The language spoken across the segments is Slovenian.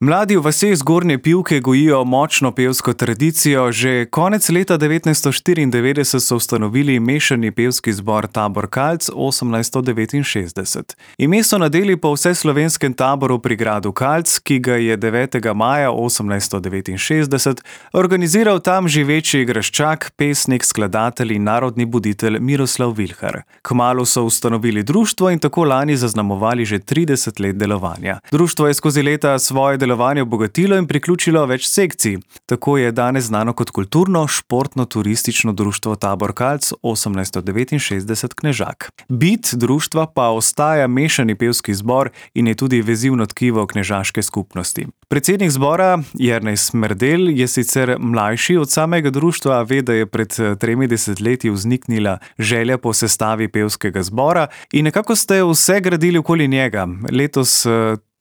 Mladi v vaseh Zgornje Pivke gojijo močno pevsko tradicijo. Že konec leta 1994 so ustanovili mešani pevski zbor Tabor Kalc 1869. Ime so nadeli po vseslovenskem taboru pri gradu Kalc, ki ga je 9. maja 1869 organiziral tam živeči graščak, pesnik, skladatelj in narodni buditelj Miroslav Vilhar. Kmalu so ustanovili društvo in tako lani zaznamovali že 30 let delovanja. Društvo je skozi leta svoje delovanje obogatilo in priključilo več sekcij. Tako je danes znano kot kulturno, športno, turistično društvo Tabor Kalc 1869 Knežak. Bit društva pa ostaja mešani pevski zbor in je tudi vezivno tkivo knežaške skupnosti. Predsednik zbora Jernej Smrdelj je sicer mlajši od samega društva, ve, da je pred 3 desetletji vzniknila želja po sestavi pevskega zbora in nekako ste vse gradili okoli njega. Letos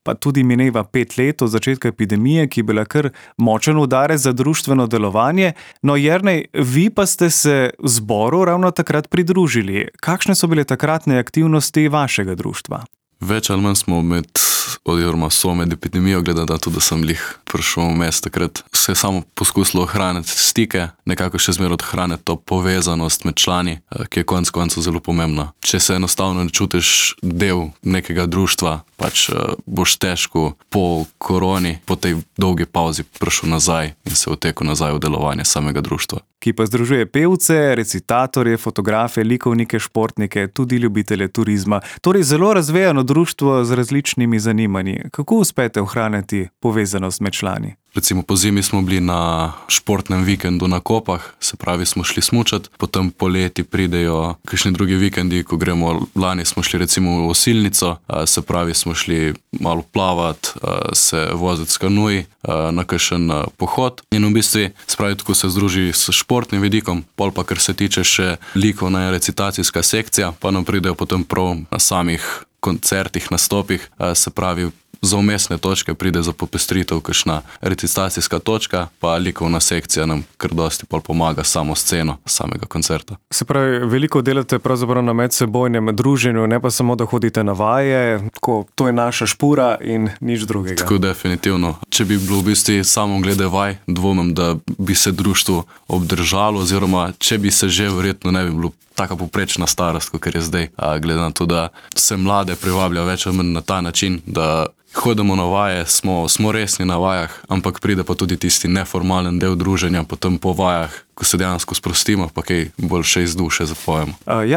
pa tudi mineva 5 let od začetka epidemije, ki je bila kar močen udarec za društveno delovanje. No, Jernej, vi pa ste se zboru ravno takrat pridružili. Kakšne so bile takratne aktivnosti vašega društva? Več ali manj smo med epidemijo, glede na to, da sem prišel v mesto takrat, se je samo poskusilo ohraniti stike, nekako še zmeraj ohraniti to povezanost med člani, ki je konec koncev zelo pomembna. Če se enostavno ne čutiš del nekega društva, boš težko po koroni, po tej dolgi pauzi prišel nazaj in se vtekel nazaj v delovanje samega društva. Ki pa združuje pevce, recitatorje, fotografe, likovnike, športnike, tudi ljubitelje turizma. Torej zelo razvejano društvo z različnimi zanimanji. Kako uspete ohraniti povezanost med člani? Recimo po zimi smo bili na športnem vikendu na Kopah, se pravi smo šli smučati, potem poleti pridejo kakšni drugi vikendi, ko gremo, lani smo šli recimo v Osilnico, se pravi smo šli malo plavati, se voziti s kanuji na kakšen pohod in v bistvu, se pravi, tako se združi s športnim vidikom, pol pa kar se tiče še likovna in recitacijska sekcija, pa nam pridejo potem prav na samih koncertih, nastopih, se pravi, za umestne točke pride za popestritev kakšna recitacijska točka, pa likovna sekcija nam kar dosti pol pomaga samo sceno samega koncerta. Se pravi, veliko delate pravzaprav na medsebojnem druženju, ne pa samo, da hodite na vaje, tako, to je naša špura in nič drugega. Tako definitivno. Če bi bilo v bistvu samo glede vaj, dvomim, da bi se društvo obdržalo, oziroma če bi se že, verjetno ne bi bilo taka poprečna starost, kot je zdaj, glede na to, da se mlade privablja več ali manj na ta način, da hodimo na vaje, smo resni na vajah, ampak pride pa tudi tisti neformalen del druženja, potem po vajah, ko se dejansko sprostimo, pa kaj bolj še iz duše zapojemo.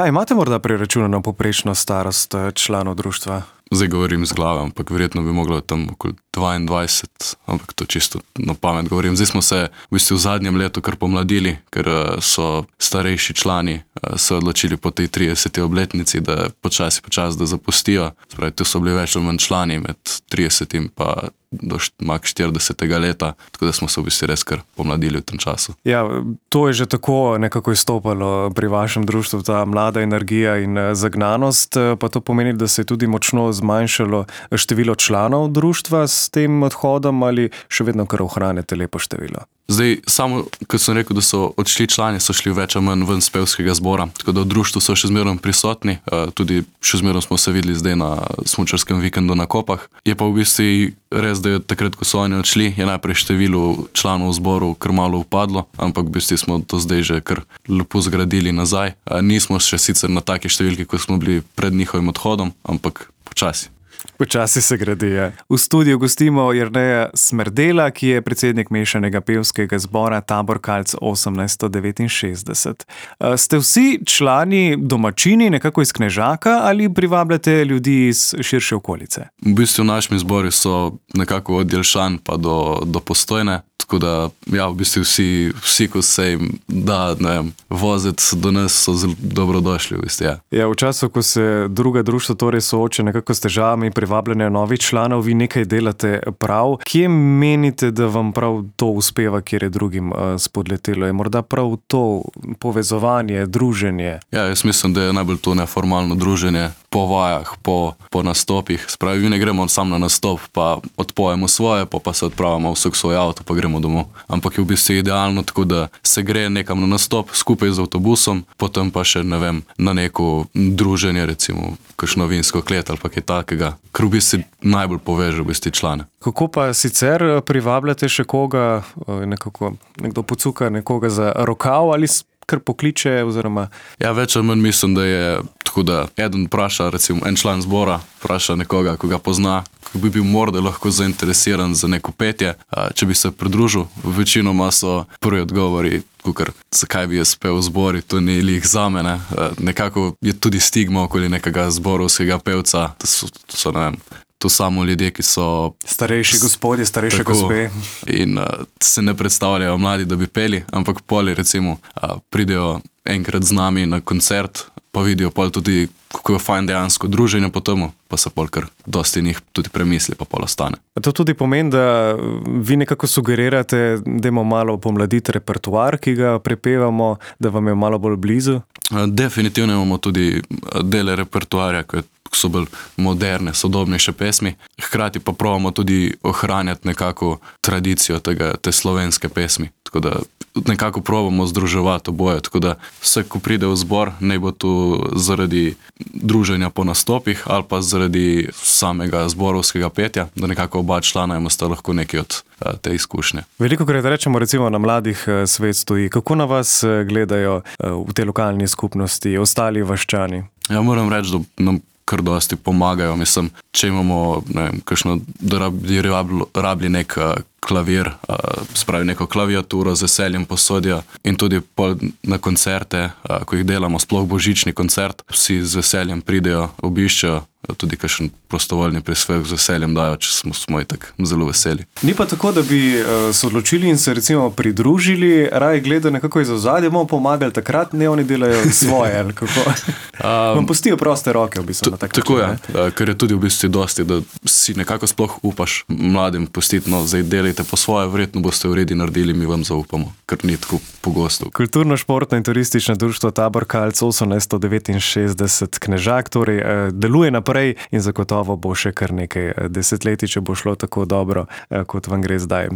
Imate morda preračunano poprečno starost članov društva? Zdaj govorim z glave, ampak verjetno bi moglo tam okoli 22, ampak to čisto na pamet govorim. Zdaj smo se v bistvu v zadnjem letu kar pomladili, ker so starejši člani se odločili po tej 30. obletnici, da počasi da zapustijo. Spravi, tu so bili več ali manj člani med 30 pa do 40. leta, tako da smo se v bistvu res kar pomladili v tem času. Ja, to je že tako nekako izstopalo pri vašem društvu, ta mlada energija in zagnanost, pa to pomeni, da se je tudi močno zmanjšalo število članov društva s tem odhodom ali še vedno kar ohranjate lepo število? Zdaj, samo, kot sem rekel, da so odšli člani, so šli več ali manj ven z pevskega zbora, tako da v društvu so še zmeraj prisotni, tudi še zmeraj smo se videli zdaj na smučarskem vikendu na Kopah. Je pa v bistvu res, da je takrat, ko so oni odšli, je najprej število članov v zboru kar malo upadlo, ampak v bistvu smo to zdaj že kar lepo zgradili nazaj. Nismo še sicer na taki številki, kot smo bili pred njihovim odhodom, ampak počasi. Počasi se gradi, ja. V studiu gostimo Jerneja Smrdela, ki je predsednik mešanega pevskega zbora Tabor Kalc 1869. Ste vsi člani domačini, nekako iz Knežaka, ali privabljate ljudi iz širše okolice? V bistvu naši zbori so nekako od Jelšan pa do Postojne, tako da, ja, v bistvu vsi, ko se jim da, voziti do nas, so zelo dobrodošli, v bistvu, ja. Ja, v času, ko se druga društva torej sooča nekako s težavami privabljanja novih članov, vi nekaj delate prav. Kje menite, da vam prav to uspeva, kjer je drugim spodletelo? Je morda prav to povezovanje, druženje? Ja, jaz mislim, da je najbolj to neformalno druženje, po vajah, po nastopih. Spravi, mi ne gremo sam na nastop, pa odpojemo svoje, pa se odpravimo vsak svoj avto, pa gremo domov. Ampak je v bistvu idealno, tako da se gre nekam na nastop skupaj z avtobusom, potem pa še, ne vem, na neko druženje, recimo kakšno vinsko klet ali pa kaj takega, ker v bistvu najbolj poveže v bistvu člane. Kako pa sicer privabljate še koga, nekdo pocuka nekoga za rokav ali kar pokliče oziroma... Ja, več ali manj mislim, da je tako, da eden vpraša, recimo en član zbora, vpraša nekoga, ko ga pozna, ko bi bil morda lahko zainteresiran za neko petje, če bi se pridružil. Večinoma so prvi odgovori, kukor, zakaj bi jaz pel v zbori, to ni lih zame, ne. Nekako je tudi stigma okoli nekega zborovskega pevca, to so, ne vem, to samo ljudje, ki so... Starejši gospodje, starejše gospe. In se ne predstavljajo mladi, da bi peli, ampak poli recimo pridejo enkrat z nami na koncert, pa vidijo pol tudi, kako je fajn dejansko druženje po temu, pa se pol kar dosti njih tudi premisli, pa pol ostane. To tudi pomeni, da vi nekako sugerirate, da imamo malo pomladiti repertoar, ki ga prepevamo, da vam je malo bolj blizu? Definitivno imamo tudi dele repertoarja, ko so bolj moderne, sodobnejše pesmi. Hkrati pa probamo tudi ohranjati nekako tradicijo te slovenske pesmi. Tako da nekako probamo združevati oboje. Tako da vse, ko pride v zbor, ne bo to zaradi druženja po nastopih ali pa zaradi samega zborovskega petja, da nekako oba člana imata lahko nekaj od te izkušnje. Velikokrat rečemo recimo na mladih svet stoji. Kako na vas gledajo v tej lokalni skupnosti ostali vaščani? Ja, moram reči, da nam kar dosti pomagajo. Mislim, če imamo, ne vem, kakšno, da rabli nek klavir, spravi neko klaviaturo z veseljem posodijo in tudi na koncerte, ko jih delamo, sploh božični koncert, vsi z veseljem pridejo, obiščejo, tudi kakšen prostovoljni prispevek z veseljem dajo, če smo itak zelo veseli. Ni pa tako, da bi se odločili in se recimo pridružili, raje gledajo nekako iz ozadja, bomo pomagali takrat, ne oni delajo svoje, ali kako? Vam pustijo proste roke v bistvu na tak način. Tako je, ker je tudi v bistvu dosti, da si nekako sploh upaš mladim pustiti, no, zdaj delajte po svoje, verjetno boste v redi naredili, mi vam zaupamo, ker ni tako pogosto. Kulturno-športno in turistično društvo Tabor Kalc 1869 Knežak, torej deluje naprej in zagotovo bo še kar nekaj desetletij, če bo šlo tako dobro, kot vam gre zdaj.